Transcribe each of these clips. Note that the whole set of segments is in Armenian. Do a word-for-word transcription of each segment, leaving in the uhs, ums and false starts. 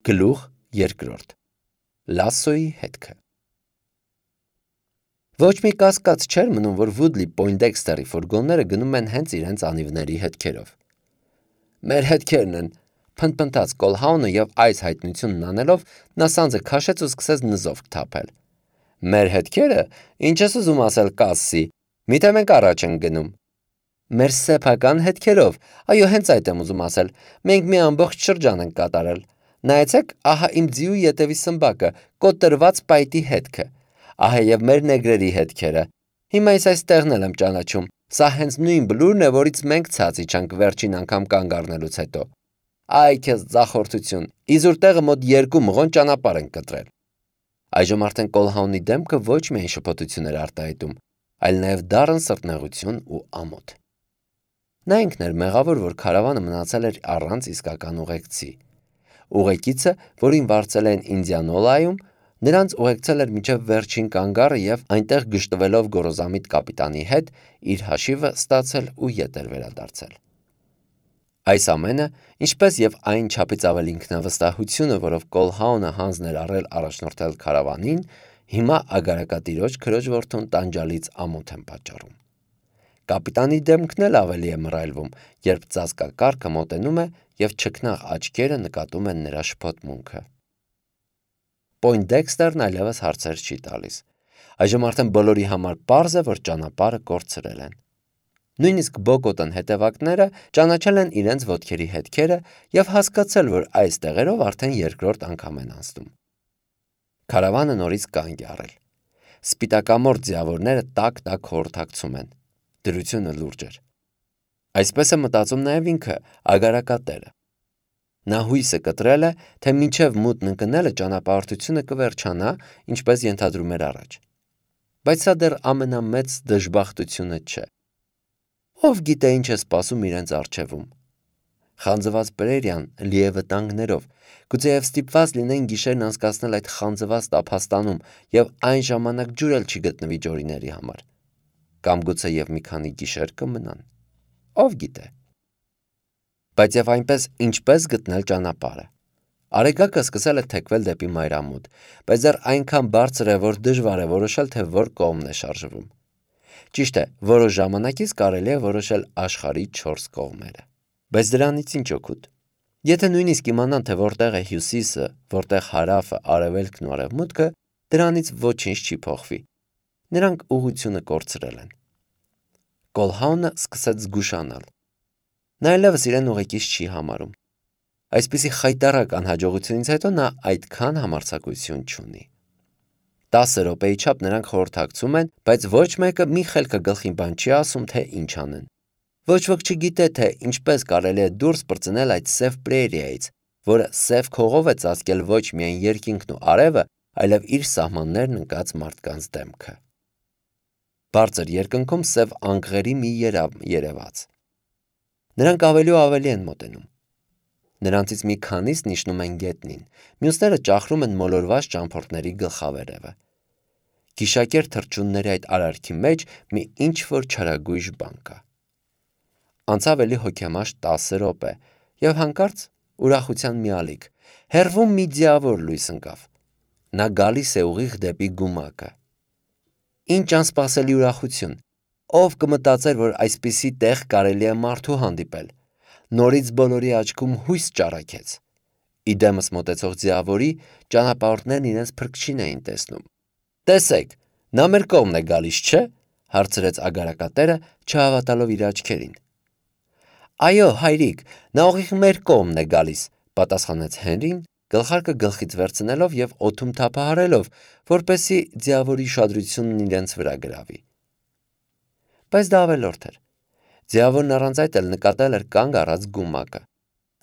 Գլուխ երկրորդ. Լասսոյի հետքը։ Ոչ մի կասկած չէր մնում, որ Վուդլի Պոյնդեքստերի ֆուրգոնները գնում են հենց իրենց անիվների հետքերով։ Մեր հետքերն են, փնթփնթաց Կոլհաունը և այս հայտնությունն անելով նա սանձը քաշեց ու սկսեց նզով թափել։ Մեր հետքերը, ինչ ես ուզում ասել Կասսի, միթե մենք առաջ ենք գնում։ Մեր սեփական հետքերով, այո, հենց այդ եմ ուզում ասել, մենք մի ամբողջ շրջան ենք կատարել։ Նայեցեք, ահա իմ ձիու ետևի սմբակը, կոտրված պայտի հետքը, ահա և մեր նեգրերի հետքերը։ Հիմա ես այս տեղն էլ եմ ճանաչում, սա հենց նույն բլուրն է, որից մենք ցած իջանք վերջին անգամ կանգ առնելուց հետո։ Այ քեզ ձախորդություն, իզուր տեղը մոտ երկու մղոն ճանապարհ ենք կտրել։ Այժմ արդեն Կոլհաունի դեմքը ոչ միայն շփոթություն էր արտահայտում, այլ նաև դառն սրտնեղություն ու ամոթ։ Նա ինքն էր մեղավոր, որ քարավանը մնացել էր առանց իսկական ուղեկցի։ Ուղեկիցը, որին վարձել են Ինդիանոլայում, նրանց ուղեկցել էր մինչև վերջին կանգառը և այնտեղ գժտվելով գոռոզամիտ կապիտանի հետ իր հաշիվը ստացել ու ետ էր վերադարձել։ Այս ամենը, ինչպես և այն չափից ավելի ինքնավստահությունը, որով Կոլհաունը հանձն էր առել առաջնորդել քարավանին, հիմա ագարակատիրոջ քրոջ որդուն տանջալից ամոթ են պատճառում։ Կապիտանի դեմքն էլ ավելի է մռայլվում, երբ ծածկակառքը մոտենում է և չքնաղ աչքերը նկատում են նրա շփոթմունքը։ Պոյնդեքստերն այլևս հարցեր չի տալիս։ Այժմ արդեն բոլորի համար պարզ է, որ ճանապարհը կորցրել են։ Նույնիսկ Բոկոտն հետևակները ճանաչել են իրենց ոտքերի հետքերը և հասկացել, որ այս տեղերով արդեն երկրորդ անգամ են անցնում։ Քարավանը նորից կանգ է առել։ Սպիտակամորթ ձիավորները տակ-տակ խորհրդակցում են։ Դրությունը լուրջ էր։ Այսպես է մտածում նաև ինքը, ագարակատերը։ Նա հույսը կտրել է, թե մինչև մութն ընկնելը ճանապարհորդությունը կվերջանա, ինչպես ենթադրում էր առաջ։ Բայց սա դեռ ամենամեծ դժբախտությունը չէ։ Ով գիտե ինչ է սպասում իրենց առջևում։ Խանձված Պրերիան լի է վտանգներով, գուցեև ստիպված լինեն գիշերն անցկացնել այդ խանձված տափաստանում և այն ժամանակ ջուր էլ չի գտնվի ջորիների համար։ Կամ գուցեև մի քանի գիշեր կմնան։ Ով գիտե։ Բայց և այնպես ինչպես գտնել ճանապարհը։ Արեգակը սկսել է թեքվել դեպի մայրամուտ, բայց դեռ այնքան բարձր է, որ դժվար է որոշել, թե որ կողմն է շարժվում։ Ճիշտ է, որոշ ժամանակից կարելի է որոշել աշխարհի չորս կողմերը։ Բայց դրանից ինչ օգուտ։ Եթե նույնիսկ իմանան, թե որտեղ է հյուսիսը, որտեղ հարավը, արևելքն ու արևմուտքը, դրանից ոչինչ չի փոխվի։ Նրանք ուղղությունը կորցրել են։ Կոլհաունը սկսեց զգուշանալ։ Նա այլևս իրեն ուղեկից չի համարում։ Այսպիսի խայտառակ անհաջողությունից հետո նա այդքան համարձակություն չունի։ Տասը րոպեի չափ նրանք խորհրդակցում են, բայց ոչ մեկը մի խելքը գլխին բան չի ասում, թե ինչ անեն։ Ոչ ոք չգիտե, թե ինչպես կարելի է դուրս պրծնել այդ սև պրերիայից, որը սև քողով է ծածկել ոչ միայն երկինքն ու արևը, այլև իր սահմաններն ընկած մարդկանց դեմքը։ Բարձր երկնքում սև անկղերի մի երամ երևաց։ Նրանք ավելի ու ավելի են մոտենում։ Նրանցից մի քանիսն իջնում են գետնին, մյուսները ճախրում են մոլորված ճամփորդների գլխավերևը։ Գիշակեր թռչունների այդ արարքի մեջ մի ինչ-որ չարագույժ բան կա։ Անցավ էլի հոգեմաշ տասը րոպե, և հանկարծ ուրախության մի ալիք, հեռվում մի ձիավոր լույս ընկավ։ Նա գալիս է ուղիղ դեպի գումակը։ Ինչ անսպասելի ուրախություն։ Ով կմտածեր, որ այսպիսի տեղ կարելի է մարդու հանդիպել։ Նորից բոլորի աչքում հույս ճառագեց։ Իդեմս մոտեցող ձիավորի ճանապարհորդներն իրենց փրկչին էին տեսնում։ Տեսեք, նա մեր կողմն է գալիս, չէ՞, հարցրեց ագարակատերը, չհավատալով իր աչքերին։ Այո, հայրիկ, նա ուղիղ մեր կողմն է գալիս, պատասխանեց Հենրին, գլխարկը գլխից վերցնելով և օդում թափահարելով, որպեսզի ձիավորի ուշադրությունն իրենց վրա գրավի։ Բայց դա ավելորդ էր։ Ձիավորն առանց այդ էլ նկատել էր կանգ առած գումակը։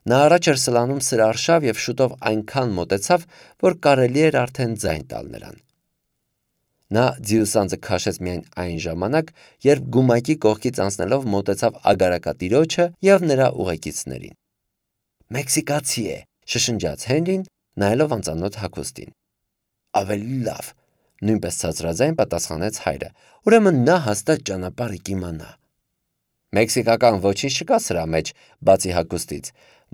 Նա առաջ էր սլանում սրարշավ և շուտով այնքան մոտեցավ, որ կարելի էր արդեն ձայն տալ նրան։ Նա ձիուսանձը քաշեց միայն այն ժամանակ, երբ գումակի կողքից անցնելով մոտեցավ ագարակատիրոջը և նրա ուղեկիցներին։ Մեքսիկացի է, շշնջաց Հենրին, նայելով անծանոթ հագուստին։ Ավելի լավ, նույնպես ցածրաձայն պատասխանեց հայրը, ուրեմն նա հաստատ ճանապարհը կիմանա։ Մեքսիկական ոչինչ չկա սրա մեջ, բացի հագուստից,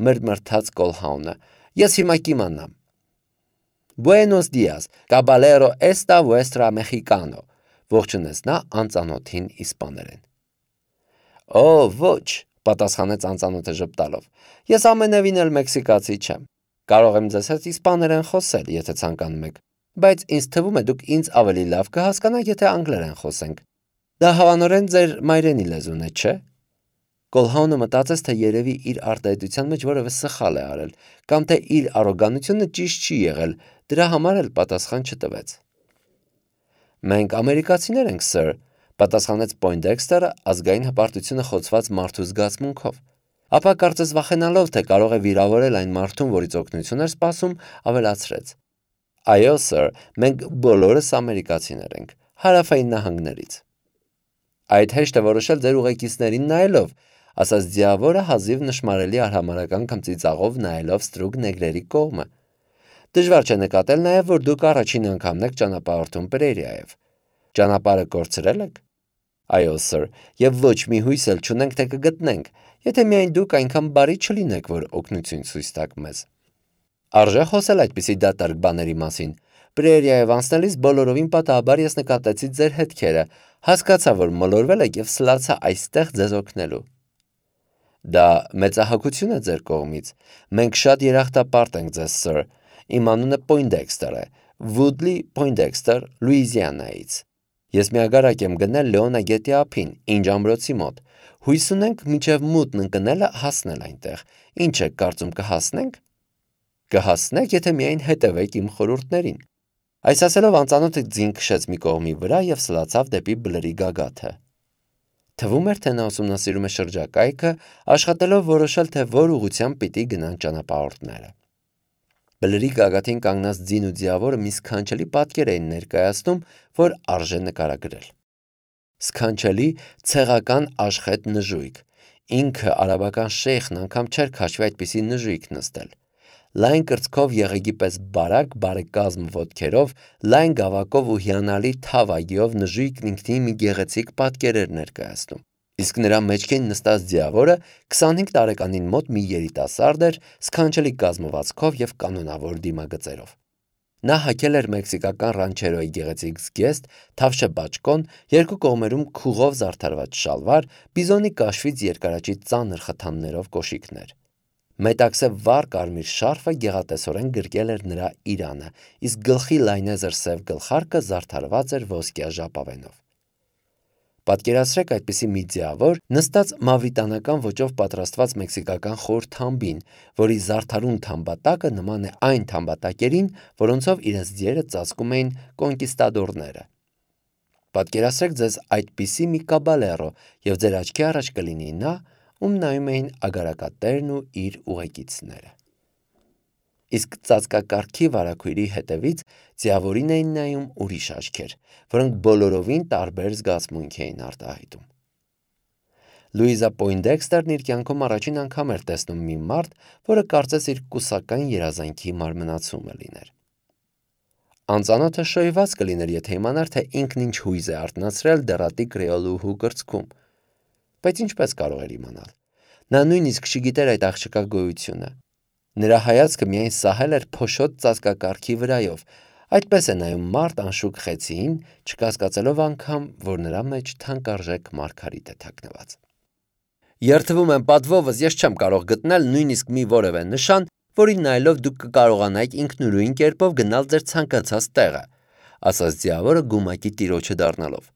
մրմրթաց Կոլհաունը, Ես հիմա կիմանամ։ Buenos días, caballero esta vuestra mexicano, ողջունեց նա անծանոթին իսպաներեն։ Օ, ոչ, պատասխանեց անծանոթը ժպտալով։ Ես ամենևին էլ մեքսիկացի չեմ։ Կարող եմ ձեզ հետ իսպաներեն խոսել, եթե ցանկանում եք, բայց ինձ թվում է դուք ինձ ավելի լավ կհասկանաք, եթե անգլերեն խոսենք։ Դա հավանորեն ձեր մայրենի լեզուն է, չէ՞։ Կոլհաունը մտածեց, թե երևի իր արտահայտության մեջ որևէ սխալ է արել, կամ թե իր արոգանությունը ճիշտ չի եղել, դրա համար էլ պատասխան չտվեց։ Մենք ամերիկացիներ ենք, սըր, պատասխանեց Պոյնդեքստերը ազգային հպարտությունը խոցված մարդու զգացմունքով, ապա կարծես վախենալով, թե կարող է վիրավորել այն մարդուն, որից օգնություն էր սպասում, ավելացրեց. Այո, սըր, մենք բոլորս ամերիկացիներ ենք, հարավային նահանգներից։ Այդ հեշտ է որոշել ձեր ուղեկիցներին նայելով, ասաց ձիավորը հազիվ նշմարելի արհամարհական քմծիծաղով նայելով ստրուկ նեգրերի կողմը։ Դժվար չէ նկատել նաև, որ դուք առաջին անգամն եք ճանապարհորդում Պրերիայով։ Ճանապարհը կորցրել եք։ Այո, սըր, եւ ոչ մի հույս էլ չունենք, թե կգտնենք, եթե միայն դուք այնքան բարի չլինեք, որ օգնություն ցույց տաք մեզ։ Արժե խոսել այդպիսի դատարկ բաների մասին։ Պրերիայով անցնելիս բոլորովին պատահաբար ես նկատեցի ձեր հետքերը, հասկացա, որ մոլորվել եք եւ սլացա այստեղ ձեզ օգնելու։ Դա մեծահոգություն է ձեր կողմից։ Մենք շատ երախտապարտ ենք ձեզ, սըր։ Իմ անունը Պոյնդեքստեր է, Վուդլի Պոյնդեքստեր, Լուիզիանայից։ Ես միագարակ եմ գնել Լեոնա գետի ափին, Ինջ ամրոցի մոտ։ Հույս ունենք մինչև մութն ընկնելը հասնել այնտեղ։ Ինչ եք կարծում, կհասնենք։ Կհասնեք, եթե միայն հետևեք իմ խորհուրդներին։ Այս ասելով անծանոթը ձին քշեց մի կողմի վրա եւ սլացավ դեպի բլրի գագաթը։ Թվում էր, թե նա ուսումնասիրում է շրջակայքը, աշխատելով որոշել, թե որ ուղղությամբ պիտի գնան ճանապարհորդները։ Բլրի գագաթին կանգնած ձին ու ձիավորը մի սքանչելի պատկեր էին ներկայացնում, որ արժե նկարագրել։ Սքանչելի ցեղական աշխետ նժույգ։ Ինքը արաբական շեյխն անգամ չէր քաշվի այդպիսի նժույգ նստել։ Լայն կրծքով եղեգի պես բարակ, բարեկազմ ոտքերով, լայն գավակով ու հիանալի թավագիով նժույգն ինքնին մի գեղեցիկ պատկեր էր ներկայացնում։ Իսկ նրա մեջքին նստած ձիավորը քսանհինգ տարեկանին մոտ մի երիտասարդ էր, սքանչելի կազմվածքով եւ կանոնավոր դիմագծերով։ Նա հագել էր մեքսիկական ռանչերոյի գեղեցիկ զգեստ, թավշե բաճկոն, երկու կողմերում քուղով զարդարված շալվար, բիզոնի կաշվից երկարաճիտ ծանր խթաններով կոշիկներ։ Մետաքսե վառ կարմիր շարֆը գեղատեսորեն գրկել էր նրա իրանը, իսկ գլխի լայնեզր սև գլխարկը զարդարված էր ոսկյա ժապավենով։ Պատկերացրեք այդպիսի մի ձիավոր նստած մավրիտանական ոճով պատրաստված մեքսիկական խոր թամբին, որի զարդարուն թամբատակը նման է այն թամբատակերին, որոնցով իրենց ձիերը ծածկում էին կոնկիստադորները։ Պատկերացրեք ձեզ այդպիսի մի կաբալերո, եւ ձեր աչքի առաջ կլինի նա, ում նայում էին ագարակատերն ու իր ուղեկիցները։ Իսկ ծածկակարգի վարագույրի հետևից ձիավորին էին նայում ուրիշ աչքեր, որոնք բոլորովին տարբեր զգացմունք էին արտահայտում։ Լուիզա Պոյնդեքստերն իր կյանքում առաջին անգամ էր տեսնում մի մարդ, որը կարծես իր կուսական երազանքի մարմնացումը լիներ։ Անծանոթը շոյված կլիներ, եթե իմանար, թե ինքն ինչ հույզ է արթնացրել դեռատի կրեոլուհու կրծքում։ Բայց ինչպես կարող էր իմանալ։ Նա նույնիսկ չգիտեր այդ աղջկա գոյությունը։ Նրա հայացքը միայն սահել էր փոշոտ ծածկակարգի վրայով, այդպես է նայում մարդ անշուք խեցիին, չկասկածելով անգամ, որ նրա մեջ թանկարժեք մարգարիտ է թաքնված։ Երդվում եմ պատվովս, ես չեմ կարող գտնել նույնիսկ մի որևէ նշան, որին նայելով դուք կկարողանայիք ինքնուրույն կերպով գնալ ձեր ցանկացած տեղը, ասաց ձիավորը գումակի տիրոջը դառնալով։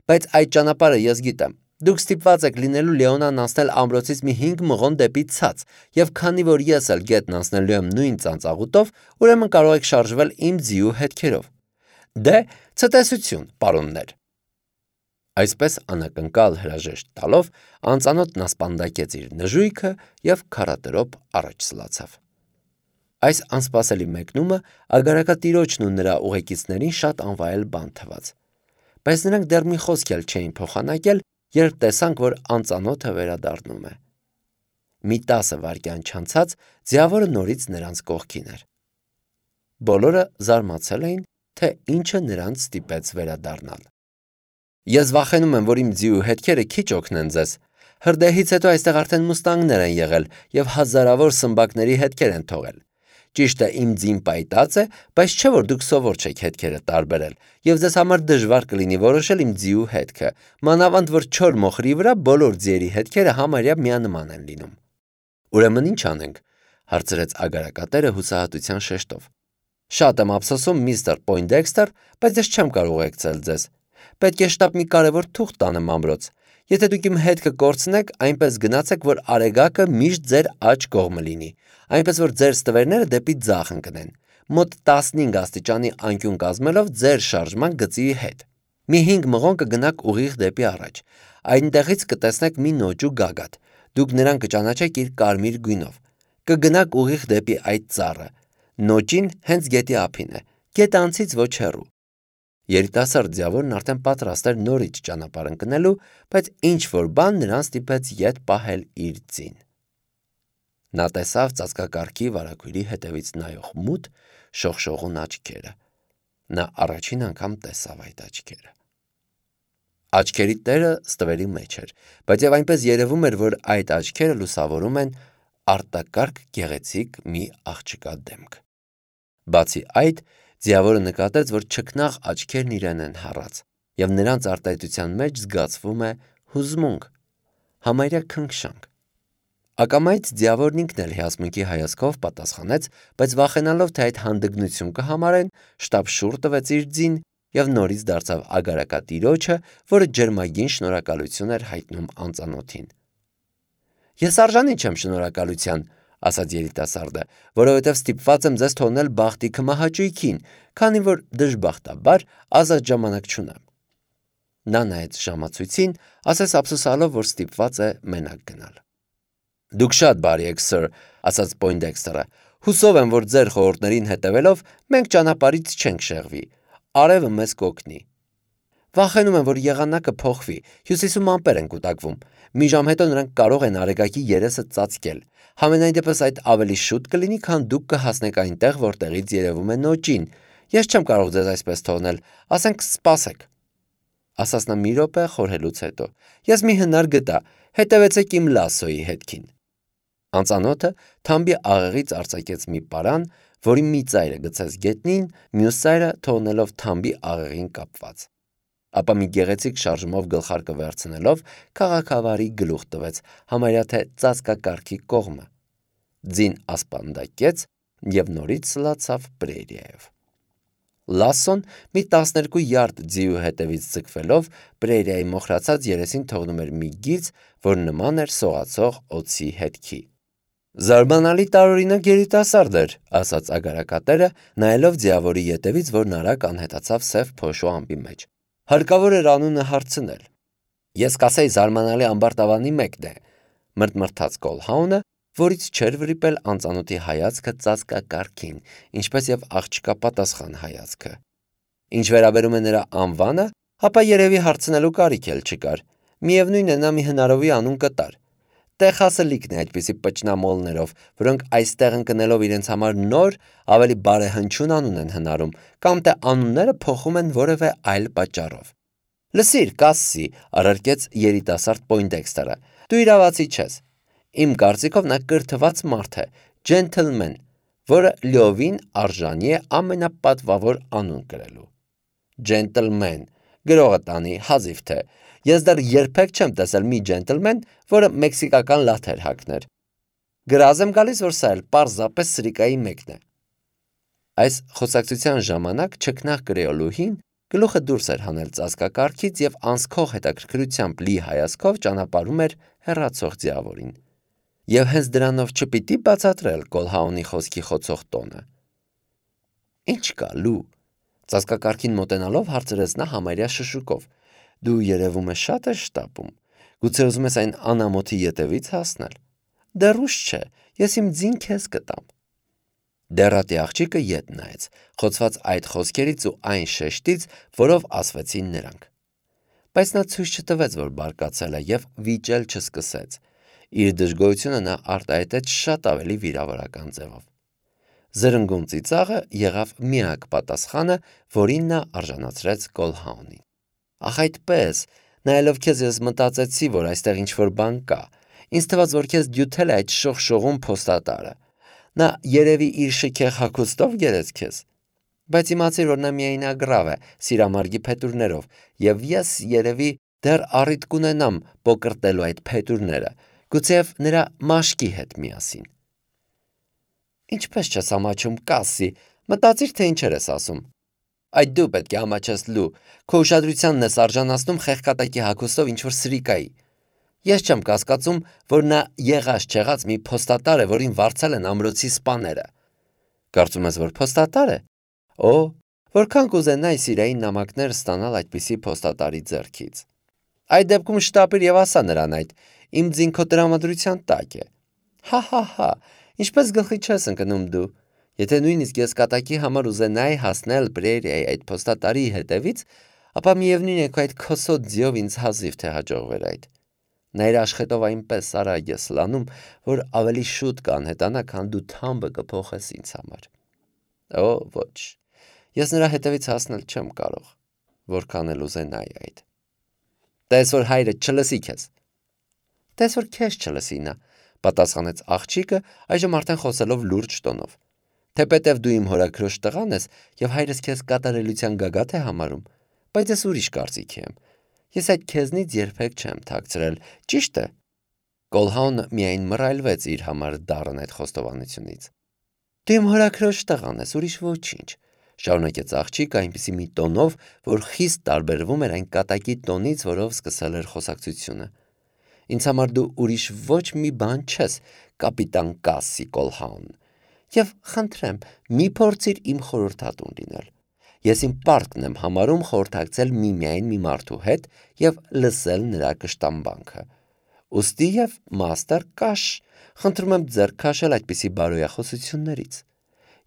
Բայց այդ ճանապարհը ես գիտեմ։ Դուք ստիպված եք լինելու Լեոնան անցնել ամրոցից մի հինգ մղոն դեպի ցած, եւ քանի որ ես էլ գետն անցնելու եմ նույն ծանծաղուտով, ուրեմն կարող եք շարժվել իմ ձիու հետքերով։ Դե, ցտեսություն, պարոններ։ Այսպես անակնկալ հրաժեշտ տալով, անծանոթն ասպանդակեց իր նժույգը եւ քարատրոպ առաջ սլացավ։ Այս անսպասելի մեկնումը ագարակատիրոջն ու նրա ուղեկիցներին շատ անվայել բան թվաց։ Բայց նրանք դեռ մի խոսք էլ չէին փոխանակել, երբ տեսանք, որ անծանոթը վերադառնում է։ Մի տասը վայրկյան չանցած ձիավորը նորից նրանց կողքին էր։ Բոլորը զարմացել էին, թե ինչը նրանց ստիպեց վերադառնալ։ Ես վախենում եմ, որ իմ ձիու հետքերը քիչ օգնեն ձեզ։ Հրդեհից հետո այստեղ արդեն մուստանգներ են եղել եւ հազարավոր սմբակների հետքեր են թողել։ Ճիշտ է, իմ ձին պայտած է, բայց չէ որ դուք սովոր չեք հետքերը տարբերել, եւ ձեզ համար դժվար կլինի որոշել իմ ձիու հետքը, մանավանդ որ չոր մոխրի վրա բոլոր ձիերի հետքերը համարյա միանման են լինում։ Ուրեմն ինչ անենք, հարցրեց ագարակատերը հուսահատության շեշտով։ Շատ եմ ափսոսում, միստր Պոյնդեքստեր, բայց ես չեմ կարող ուղեկցել ձեզ։ Պետք է շտապ մի կարևոր թուղթ տանեմ ամրոց։ Եթե դուք իմ հետքը կորցնեք, այնպես գնացեք, որ արեգակը միշտ ձեր աջ կողմը լինի, այնպես որ ձեր ստվերները դեպի ձախ ընկնեն, մոտ տասնհինգ աստիճանի անկյուն կազմելով ձեր շարժման գծի հետ։ Մի հինգ մղոն կգնաք ուղիղ դեպի առաջ։ Այնտեղից կտեսնեք մի նոճու գագաթ։ Դուք նրան կճանաչեք իր կարմիր գույնով։ Կգնաք ուղիղ դեպի այդ ծառը։ Նոճին հենց գետի ափին է, գետը անցից ոչ հեռու։ Երիտասարդ ձիավորն արդեն պատրաստ էր նորից ճանապարհ ընկնելու, բայց ինչ-որ բան նրան ստիպեց ետ պահել իր ձին։ Նա տեսավ ծածկակառքի վարագույրի հետևից նայող մութ, շողշողուն աչքերը։ Նա առաջին անգամ տեսավ այդ աչքերը։ Աչքերի տերը ստվերի մեջ էր, բայց եւ այնպես երևում էր, որ այդ աչքերը լուսավորում են արտակարգ գեղեցիկ մի աղջկա դեմք։ Բացի այդ, ձիավորը նկատեց, որ չքնաղ աչքերն իրեն են հառած, եւ նրանց արտահայտության մեջ զգացվում է հուզմունք, համարյա քնքշանք։ Ակամայից ձիավորն ինքն էլ հիասմունքի հայացքով պատասխանեց, բայց վախենալով, թե այդ հանդգնություն կհամարեն, շտապ շուռ տվեց իր ձին եւ նորից դարձավ ագարակատիրոջը, որը ջերմագին շնորհակալություն էր հայտնում անծանոթին։ Ես արժանի չեմ շնորհակալության, ասաց երիտասարդը, որովհետև ստիպված եմ ձեզ թողնել բախտի քմահաճույքին, քանի որ դժբախտաբար ազատ ժամանակ չունեմ։ Նա նայեց ժամացույցին, ասես ափսոսալով, որ ստիպված է մենակ գնալ։ Դուք շատ բարի եք, սըր, ասաց Պոյնդեքստերը։ Հուսով եմ, որ ձեր խորհուրդներին հետևելով մենք ճանապարհից չենք շեղվի։ Արևը մեզ կօգնի։ Վախենում եմ, որ եղանակը փոխվի, հյուսիսում ամպեր են կուտակվում։ Մի ժամ հետո նրանք կարող են արեգակի երեսը ծածկել։ Համենայն դեպս այդ ավելի շուտ կլինի, քան դուք կհասնեք այնտեղ, որտեղից երևում է նոճին։ Ես չեմ կարող ձեզ այսպես թողնել, ասենք սպասեք։ Ասաց նա մի րոպե խորհելուց հետո։ Ես մի հնար գտա, հետևեցեք իմ լասոյի հետքին։ Անծանոթը թամբի աղեղից արձակեց մի պարան, որի մի ծայրը գցեց գետնին, մյուս ծայրը թողնելով թամբի աղեղին կապված։ Ապա մի գեղեցիկ շարժումով գլխարկը վերցնելով քաղաքավարի գլուխ տվեց, համարյա թե ծածկակառքի կողմը։ Ձին ասպանդակեց եւ նորից սլացավ պրերիայով։ Լասոն մի տասներկու յարդ ձիու հետևից ձգվելով պրերիայի մոխրացած երեսին թողնում էր մի գիծ, որ նման էր սողացող օձի հետքի։ Զարմանալի տարօրինակ երիտասարդ էր, ասաց ագարակատերը, նայելով ձիավորի ետևից, որն արագ անհետացավ սև փոշու ամպի մեջ։ Հարկավոր էր անունը հարցնել։ Ես կասեի զարմանալի ամբարտավանի մեկն է, մրթմրթաց Կոլհաունը, որից չէր վրիպել անծանոթի հայացքը ծածկակառքին, ինչպես եւ աղջկա պատասխան հայացքը։ Ինչ վերաբերում է նրա անվանը, ապա երևի հարցնելու կարիք էլ չկար։ Միևնույն է, նա մի հնարովի անուն կտար։ Տեխասը լիքն է այդպիսի պճնամոլներով, որոնք այստեղ ընկնելով իրենց համար նոր, ավելի բարեհնչյուն անուն են հնարում, կամ թե անունները փոխում են որևէ այլ պատճառով։ Լսիր, Կասսի, առարկեց երիտասարդ Պոյնդեքստերը, դու իրավացի չես։ Իմ կարծիքով նա կրթված մարդ է, ջենթլմեն, որը լիովին արժանի է ամենապատվավոր անուն կրելու։ Ջենտլմեն, գրողը տանի, հազիվ թե։ Ես դեռ երբեք չեմ տեսել մի ջենտլմեն, որը մեքսիկական լաթեր հագներ։ Գրազ եմ գալիս, որ սա էլ պարզապես սրիկայի մեկն է։ Այս խոսակցության ժամանակ չքնաղ կրեոլուհին գլուխը դուրս էր հանել ծածկակառքից եւ անսքող հետաքրքրությամբ լի հայացքով ճանապարհում էր հեռացող ձիավորին։ Եվ հենց դրանով չպիտի բացատրել Կոլհաունի խոսքի խոցող տոնը։ Ինչ կա, լու, ծածկակառքին մոտենալով հարցրեց նա համարյա շշուկով։ Դու երևում է շատ ես շտապում։ Գուցե ուզում ես այն անամոթի ետևից հասնել։ Դեռ ուշ չէ, ես իմ ձին քեզ կտամ։ Դեռատի աղջիկը ետ նայեց, խոցված այդ խոսքերից ու այն շեշտից, որով ասվեցին նրանք։ Բայց նա ցույց չտվեց, որ բարկացել է եւ վիճել չսկսեց։ Իր դժգոհությունը նա արտահայտեց շատ ավելի վիրավորական ձևով։ Զրնգուն ծիծաղը եղավ միակ պատասխանը, որին նա արժանացրեց Կոլհաունին։ Ախ այդպես, նայելով քեզ ես մտածեցի, որ այստեղ ինչ-որ բան կա։ Ինձ թվաց, որ քեզ դյութել է այդ շողշողուն փոստատարը։ Նա երևի իր շքեղ հագուստով գերեց քեզ։ Բայց իմացիր, որ նա միայն ագրավ է սիրամարգի փետուրներով, եւ ես երևի դեռ առիթ կունենամ պոկրտելու այդ փետուրները, գուցեև նրա մաշկի հետ միասին։ Ինչպես չես ամաչում, Կասսի, մտածիր, թե ինչեր ես ասում։ Այդ դու պետք է ամաչես, Լու, քո ուշադրությանն ես արժանացնում խեղկատակի հագուստով ինչ-որ սրիկայի։ Ես չեմ կասկածում, որ նա եղած-չեղած մի փոստատար է, որին վարձել են ամրոցի սպաները։ Կարծում ես, որ փոստատար է։ Օ, որքան կուզենայի սիրային նամակներ ստանալ այդպիսի փոստատարի ձեռքից։ Այդ դեպքում շտապիր եւ ասա նրան այդ, իմ ձինքո տրամադրության տակ է։ Հա-հա-հա, ինչպես գլխի չես ընկնում դու։ Եթե նույնիսկ ես կատակի համար ուզենայի հասնել Պրերիայի այդ փոստատարի հետևից, ապա միևնույն է քո այդ քոսոտ ձիով ինձ հազիվ թե հաջողվեր այդ։ Նա իր աշխատով այնպես արագ է սլանում, որ ավելի շուտ կանհետանա, քան դու թամբը կփոխես ինձ համար։ Օ, ոչ, ես նրա հետևից հասնել չեմ կարող, որքան էլ ուզենայի այդ։ Տես որ հայրը չլսի քեզ։ Տես որ քեզ չլսի նա, պատասխանեց աղջիկը, այժմ արդեն խոսելով լուրջ տոնով։ Թեպետև դու իմ հորաքրոջ տղան ես եւ հայրս քեզ կատարելության գագաթ է համարում, բայց ես ուրիշ կարծիքի եմ։ Ես այդ քեզնից երբեք չեմ թաքցրել, ճիշտ է։ Կոլհաունը միայն մռայլվեց իր համար դառն այդ խոստովանությունից։ Դու իմ հորաքրոջ տղան ես, ուրիշ ոչինչ, շարունակեց աղջիկը այնպիսի մի տոնով, որ խիստ տարբերվում էր այն կատակի տոնից, որով սկսել էր խոսակցությունը։ Ինձ համար դու ուրիշ ոչ մի բան չես, կապիտան Կասսի Կոլհաուն։ Եվ խնդրեմ, մի փորձիր իմ խորհրդատուն լինել։ Ես իմ պարտքն եմ համարում խորհրդակցել միմիայն մի մարդու հետ եւ լսել նրա կշտամբանքը։ Ուստի եւ մաստեր կաշ, խնդրում եմ ձեռք քաշել այդպիսի բարոյախոսություններից։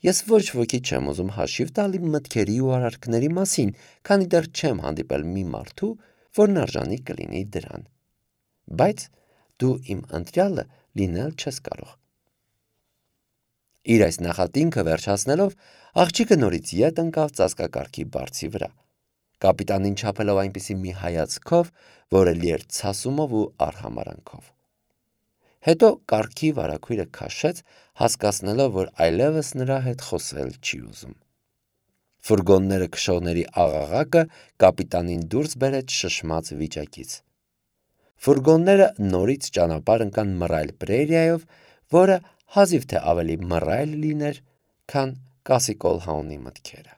Ես ոչ ոքի չեմ ուզում հաշիվ տալ իմ մտքերի ու արարքների մասին, քանի դեռ չեմ հանդիպել մի մարդու, որն արժանի կլինի դրան։ Բայց դու իմ ընտրյալը լինել չես կարող։ Իր այս նախատինքը վերջացնելով, աղջիկը նորից ետ ընկավ ծածկակարգի բարձի վրա, կապիտանին չափելով այնպիսի մի հայացքով, որը լի էր ցասումով ու արհամարանքով։ Հետո կարգի վարագույրը քաշեց, հասկացնելով, որ այլևս նրա հետ խոսել չի ուզում։ Ֆուրգոնները քշողների աղաղակը կապիտանին դուրս բերեց շշմած վիճակից։ Ֆուրգոնները նորից ճանապարհ ընկան մռայլ Պրերիայով, որը հազիվ թե ավելի մռայլ լիներ, քան Կասսի Կոլհաունի մտքերը։